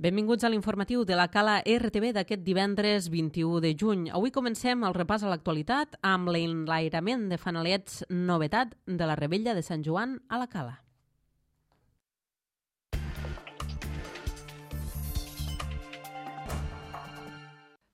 Benvinguts a l'informatiu de la Cala RTV d'aquest divendres 21 de juny. Avui comencem el repàs a l'actualitat amb l'enlairament de fanalets novetat de la Revetlla de Sant Joan a la Cala.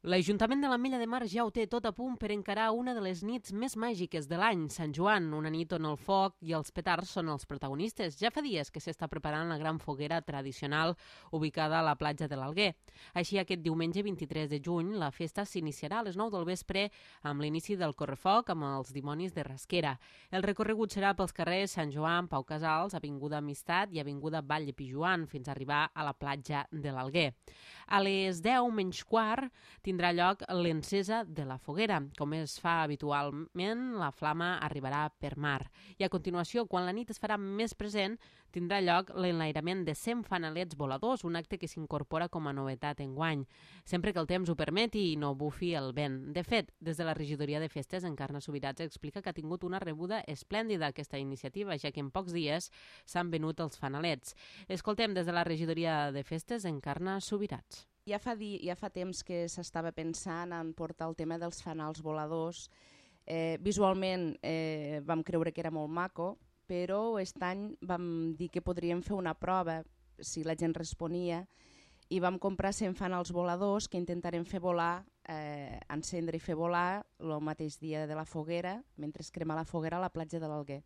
L'Ajuntament de l'Ametlla de Mar ja ho té tot a punt per encarar una de les nits més màgiques de l'any, Sant Joan, una nit on el foc i els petards són els protagonistes. Ja fa dies que s'està preparant la gran foguera tradicional ubicada a la platja de l'Alguer. Així, aquest diumenge 23 de juny, la festa s'iniciarà a les 9 del vespre amb l'inici del correfoc amb els dimonis de Rasquera. El recorregut serà pels carrers Sant Joan, Pau Casals, Avinguda Amistat i Avinguda Vall de Pijuan fins a arribar a la platja de l'Alguer. A les 10 menys quart tindrà lloc l'encesa de la foguera. Com es fa habitualment, la flama arribarà per mar. I a continuació, quan la nit es farà més present, tindrà lloc l'enlairament de 100 fanalets voladors, un acte que s'incorpora com a novetat enguany, sempre que el temps ho permeti i no bufi el vent. De fet, des de la regidoria de festes, Encarna Subirats explica que ha tingut una rebuda esplèndida aquesta iniciativa, ja que en pocs dies s'han venut els fanalets. Escoltem des de la regidoria de festes, Encarna Subirats. Ja fa temps que s'estava pensant en portar el tema dels fanals voladors. Visualment vam creure que era molt maco, però aquest any vam dir que podríem fer una prova si la gent responia i vam comprar 100 fanals voladors que intentarem fer volar, encendre i fer volar el mateix dia de la foguera, mentre es crema la foguera a la platja de l'Alguer.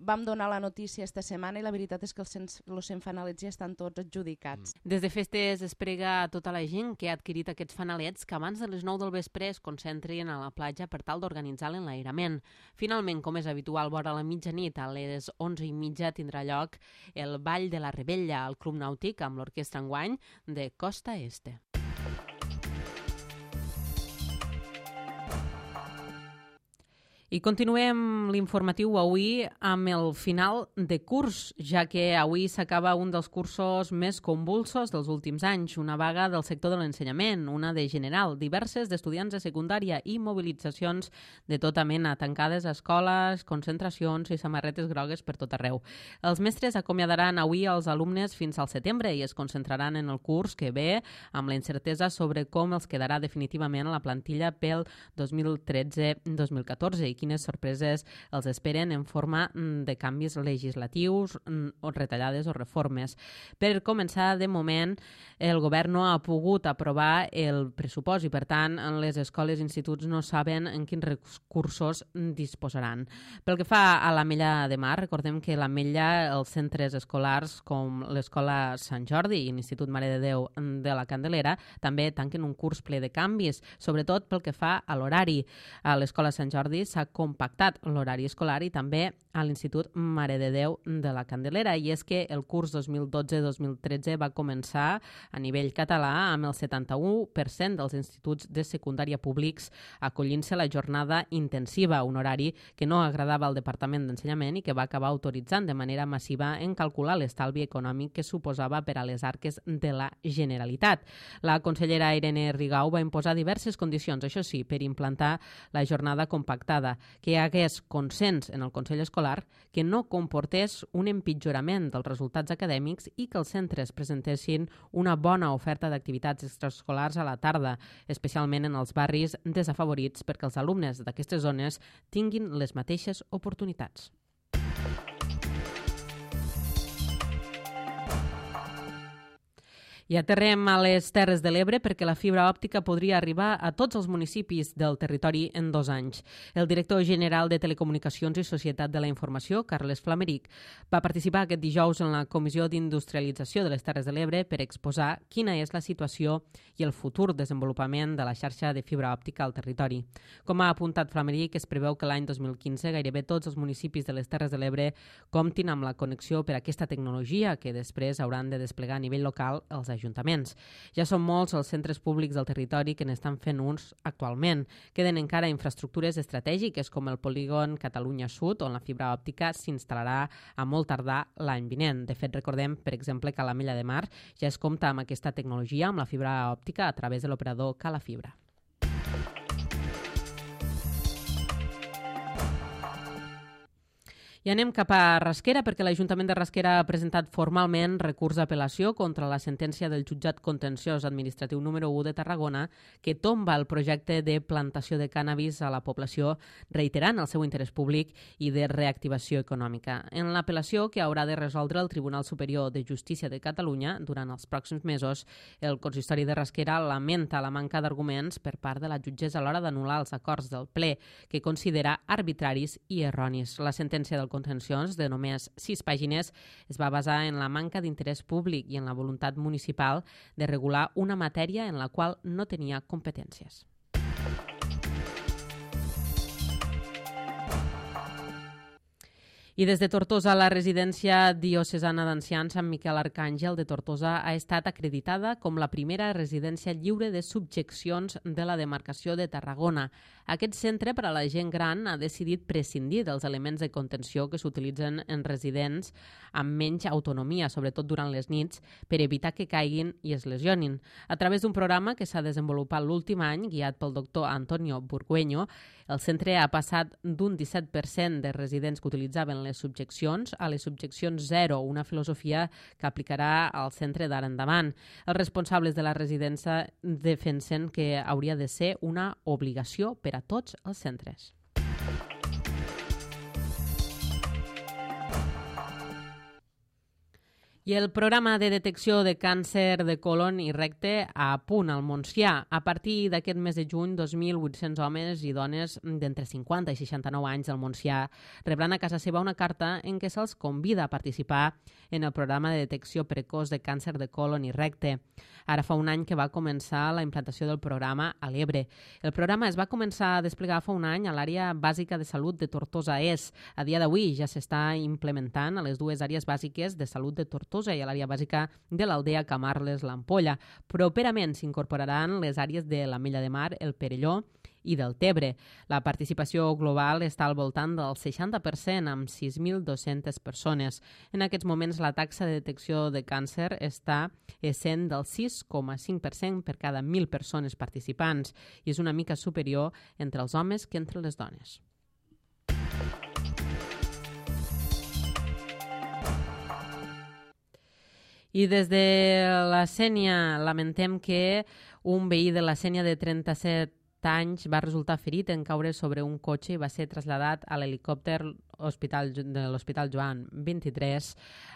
Vam donar la notícia esta setmana i la veritat és que els 100 fanalets ja estan tots adjudicats. Des de festes es prega a tota la gent que ha adquirit aquests fanalets que abans de les 9 del vespre es concentrin a la platja per tal d'organitzar l'enlairament. Finalment, com és habitual, vora la mitjanit, a les 11:30 tindrà lloc el Ball de la Revetlla al Club Nàutic amb l'orquestra enguany de Costa Este. I continuem l'informatiu avui amb el final de curs, ja que avui s'acaba un dels cursos més convulsos dels últims anys, una vaga del sector de l'ensenyament, una de general, diverses d'estudiants de secundària i mobilitzacions de tota mena, tancades a escoles, concentracions i samarretes grogues per tot arreu. Els mestres acomiadaran avui els alumnes fins al setembre i es concentraran en el curs que ve amb la incertesa sobre com els quedarà definitivament a la plantilla pel 2013-2014 i quines sorpreses els esperen en forma de canvis legislatius o retallades o reformes. Per començar, de moment, el govern no ha pogut aprovar el pressupost i, per tant, les escoles i instituts no saben en quins recursos disposaran. Pel que fa a l'Ametlla de Mar, recordem que l'Ametlla, els centres escolars com l'Escola Sant Jordi i l'Institut Mare de Déu de la Candelera també tanquen un curs ple de canvis, sobretot pel que fa a l'horari. A l'Escola Sant Jordi s'ha compactat l'horari escolar i també a l'Institut Mare de Déu de la Candelera. I és que el curs 2012-2013 va començar a nivell català amb el 71% dels instituts de secundària públics acollint-se a la jornada intensiva, un horari que no agradava al Departament d'Ensenyament i que va acabar autoritzant de manera massiva en calcular l'estalvi econòmic que suposava per a les arques de la Generalitat. La consellera Irene Rigau va imposar diverses condicions, això sí, per implantar la jornada compactada, que hi hagués consens en el Consell Escolar, que no comportés un empitjorament dels resultats acadèmics i que els centres presentessin una bona oferta d'activitats extraescolars a la tarda, especialment en els barris desafavorits perquè els alumnes d'aquestes zones tinguin les mateixes oportunitats. I aterrem a les Terres de l'Ebre perquè la fibra òptica podria arribar a tots els municipis del territori en 2 anys. El director general de Telecomunicacions i Societat de la Informació, Carles Flameric, va participar aquest dijous en la Comissió d'Industrialització de les Terres de l'Ebre per exposar quina és la situació i el futur desenvolupament de la xarxa de fibra òptica al territori. Com ha apuntat Flameric, es preveu que l'any 2015 gairebé tots els municipis de les Terres de l'Ebre comptin amb la connexió per a aquesta tecnologia que després hauran de desplegar a nivell local els ajuntaments. Ja són molts els centres públics del territori que n'estan fent uns actualment. Queden encara infraestructures estratègiques com el polígon Catalunya Sud, on la fibra òptica s'instal·larà a molt tardar l'any vinent. De fet, recordem, per exemple, que a l'Ametlla de Mar ja es compta amb aquesta tecnologia, amb la fibra òptica, a través de l'operador Calafibra. I anem cap a Rasquera perquè l'Ajuntament de Rasquera ha presentat formalment recurs d'apel·lació contra la sentència del jutjat contenciós administratiu número 1 de Tarragona que tomba el projecte de plantació de cànnabis a la població, reiterant el seu interès públic i de reactivació econòmica. En l'apel·lació que haurà de resoldre el Tribunal Superior de Justícia de Catalunya durant els pròxims mesos, el consistori de Rasquera lamenta la manca d'arguments per part de la jutgessa a l'hora d'anul·lar els acords del ple que considera arbitraris i erronis. La sentència del contenciós, de només 6 pàgines, es va basar en la manca d'interès públic i en la voluntat municipal de regular una matèria en la qual no tenia competències. I des de Tortosa, la residència diocesana d'ancians Sant Miquel Arcàngel de Tortosa ha estat acreditada com la primera residència lliure de subjeccions de la demarcació de Tarragona. Aquest centre per a la gent gran ha decidit prescindir dels elements de contenció que s'utilitzen en residents amb menys autonomia, sobretot durant les nits, per evitar que caiguin i es lesionin. A través d'un programa que s'ha desenvolupat l'últim any, guiat pel doctor Antonio Burgueño, el centre ha passat d'un 17% de residents que utilitzaven les subjeccions a les subjeccions zero, una filosofia que aplicarà al centre d'ara endavant. Els responsables de la residència defensen que hauria de ser una obligació per a tots els centres. I el programa de detecció de càncer de colon i recte a punt al Montsià. A partir d'aquest mes de juny, 2.800 homes i dones d'entre 50 i 69 anys del Montsià rebran a casa seva una carta en què se'ls convida a participar en el programa de detecció precoç de càncer de colon i recte. Ara fa un any que va començar la implantació del programa a l'Ebre. El programa es va començar a desplegar fa un any a l'àrea bàsica de salut de Tortosa Est. A dia d'avui ja s'està implementant a les dues àrees bàsiques de salut de Tortosa i a l'àrea bàsica de l'Aldea Camarles-l'Ampolla. Properament s'incorporaran les àrees de l'Ametlla de Mar, el Perelló i del Tebre. La participació global està al voltant del 60%, amb 6.200 persones. En aquests moments, la taxa de detecció de càncer està essent del 6,5% per cada 1.000 persones participants i és una mica superior entre els homes que entre les dones. I des de la Sénia lamentem que un veí de la Sénia de 37 anys va resultar ferit en caure sobre un cotxe i va ser traslladat a l'helicòpter de l'Hospital Joan 23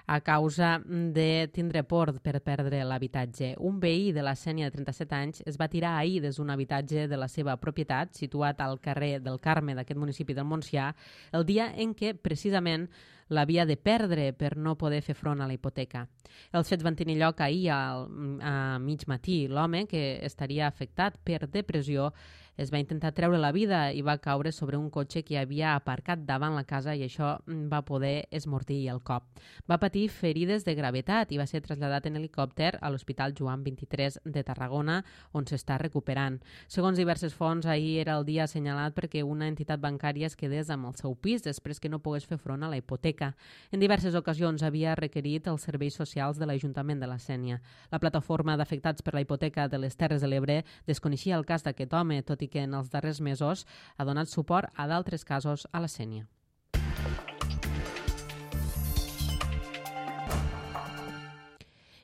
a causa de tindre por per perdre l'habitatge. Un veí de la Sénia de 37 anys es va tirar ahir des d'un habitatge de la seva propietat, situat al carrer del Carme d'aquest municipi del Montsià, el dia en què precisament l'havia de perdre per no poder fer front a la hipoteca. Els fets van tenir lloc ahir a mig matí. L'home, que estaria afectat per depressió, es va intentar treure la vida i va caure sobre un cotxe que havia aparcat davant la casa i això va poder esmortir el cop. Va patir ferides de gravetat i va ser traslladat en helicòpter a l'Hospital Joan 23 de Tarragona, on s'està recuperant. Segons diverses fonts, ahir era el dia assenyalat perquè una entitat bancària es quedés amb el seu pis després que no pogués fer front a la hipoteca. En diverses ocasions havia requerit els serveis socials de l'Ajuntament de la Sénia. La plataforma d'afectats per la hipoteca de les Terres de l'Ebre desconeixia el cas d'aquest home, tot i que en els darrers mesos ha donat suport a d'altres casos a la Sénia.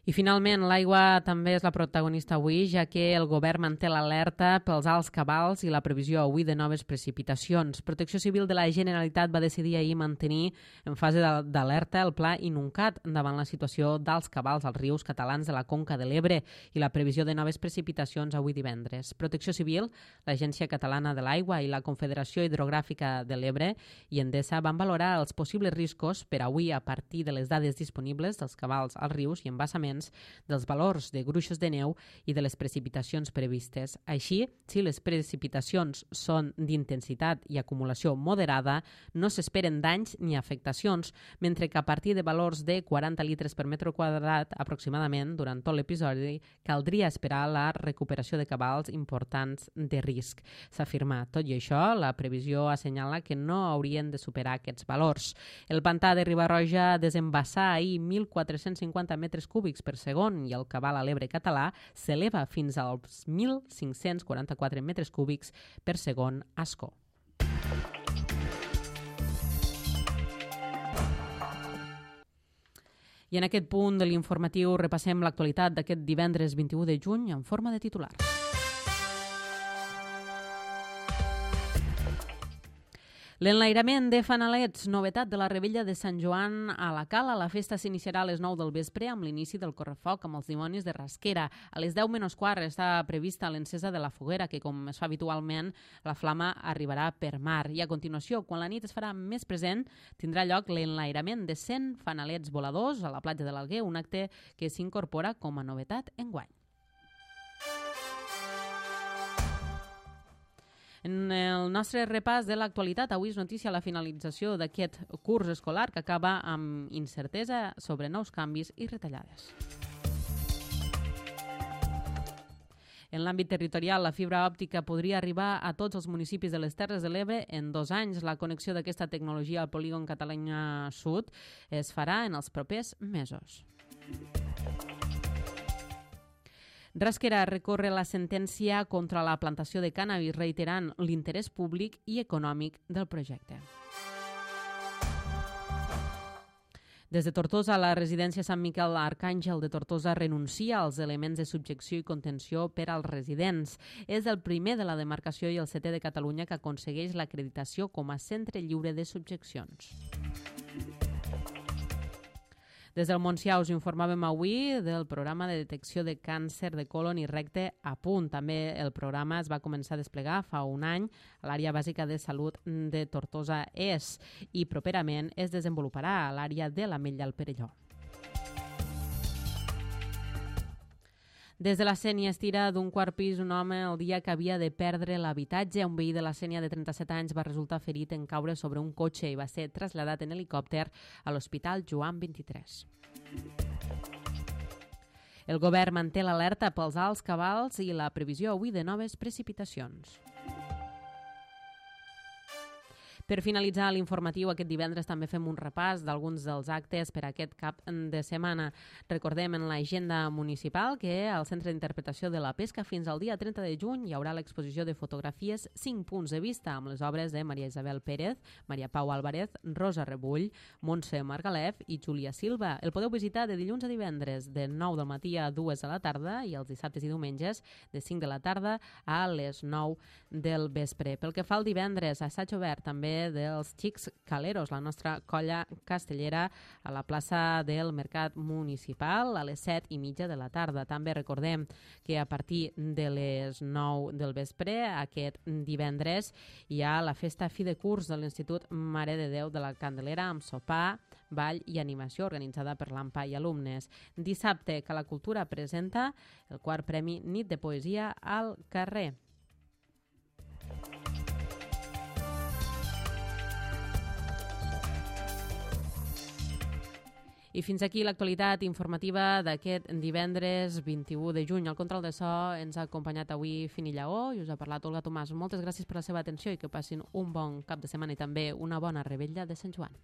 I finalment, l'aigua també és la protagonista avui, ja que el govern manté l'alerta pels alts cabals i la previsió avui de noves precipitacions. Protecció Civil de la Generalitat va decidir ahir mantenir en fase d'alerta el pla Inuncat davant la situació d'alts cabals als rius catalans de la Conca de l'Ebre i la previsió de noves precipitacions avui divendres. Protecció Civil, l'Agència Catalana de l'Aigua i la Confederació Hidrogràfica de l'Ebre i Endesa van valorar els possibles riscos per avui a partir de les dades disponibles dels cabals als rius i embassaments, dels valors de gruixos de neu i de les precipitacions previstes. Així, si les precipitacions són d'intensitat i acumulació moderada, no s'esperen danys ni afectacions, mentre que a partir de valors de 40 litres per metre quadrat aproximadament durant tot l'episodi caldria esperar la recuperació de cabals importants de risc. S'afirma. Tot i això, la previsió assenyala que no haurien de superar aquests valors. El pantà de Riba-roja desembassà ahir 1.450 metres cúbics per segon i el cabal a l'Ebre català s'eleva fins als 1.544 metres cúbics per segon a Ascó. I en aquest punt de l'informatiu repassem l'actualitat d'aquest divendres 21 de juny en forma de titular. L'enlairament de fanalets, novetat de la Revetlla de Sant Joan a la Cala. La festa s'iniciarà a les 9 del vespre amb l'inici del correfoc amb els dimonis de Rasquera. A les 10 menys quart està prevista l'encesa de la foguera, que com es fa habitualment, la flama arribarà per mar. I a continuació, quan la nit es farà més present, tindrà lloc l'enlairament de 100 fanalets voladors a la platja de l'Alguer, un acte que s'incorpora com a novetat enguany. En el nostre repàs de l'actualitat, avui és notícia la finalització d'aquest curs escolar que acaba amb incertesa sobre nous canvis i retallades. En l'àmbit territorial, la fibra òptica podria arribar a tots els municipis de les Terres de l'Ebre en 2 anys. La connexió d'aquesta tecnologia al polígon Catalunya Sud es farà en els propers mesos. Rasquera recorre la sentència contra la plantació de cànnabis, reiterant l'interès públic i econòmic del projecte. Des de Tortosa, la residència Sant Miquel Arcàngel de Tortosa renuncia als elements de subjecció i contenció per als residents. És el primer de la demarcació i el 7è de Catalunya que aconsegueix l'acreditació com a centre lliure de subjeccions. Des del Montsià us informàvem avui del programa de detecció de càncer de còlon i recte a punt. També el programa es va començar a desplegar fa un any a l'àrea bàsica de salut de Tortosa Est i properament es desenvoluparà a l'àrea de l'Ametlla al Perelló. Des de la Sénia es tira d'un quart pis un home el dia que havia de perdre l'habitatge. Un veí de la Sénia de 37 anys va resultar ferit en caure sobre un cotxe i va ser traslladat en helicòpter a l'Hospital Joan 23. El govern manté l'alerta pels alts cabals i la previsió avui de noves precipitacions. Per finalitzar l'informatiu, aquest divendres també fem un repàs d'alguns dels actes per aquest cap de setmana. Recordem en l'agenda municipal que al Centre d'Interpretació de la Pesca fins al dia 30 de juny hi haurà l'exposició de fotografies 5 punts de vista amb les obres de Maria Isabel Pérez, Maria Pau Álvarez, Rosa Rebull, Montse Margalef i Júlia Silva. El podeu visitar de dilluns a divendres de 9 del matí a 2 de la tarda i els dissabtes i diumenges de 5 de la tarda a les 9 del vespre. Pel que fa al divendres, assaig obert també dels Xics Caleros, la nostra colla castellera a la plaça del Mercat Municipal a les 7:30 de la tarda. També recordem que a partir de les 9 del vespre, aquest divendres, hi ha la festa fi de curs de l'Institut Mare de Déu de la Candelera amb sopar, ball i animació organitzada per l'AMPA i alumnes. Dissabte, que la cultura presenta el 4è Premi Nit de Poesia al carrer. I fins aquí l'actualitat informativa d'aquest divendres 21 de juny. Al control de so ens ha acompanyat avui Fini Lleó i us ha parlat Olga Tomàs. Moltes gràcies per la seva atenció i que passin un bon cap de setmana i també una bona revetlla de Sant Joan.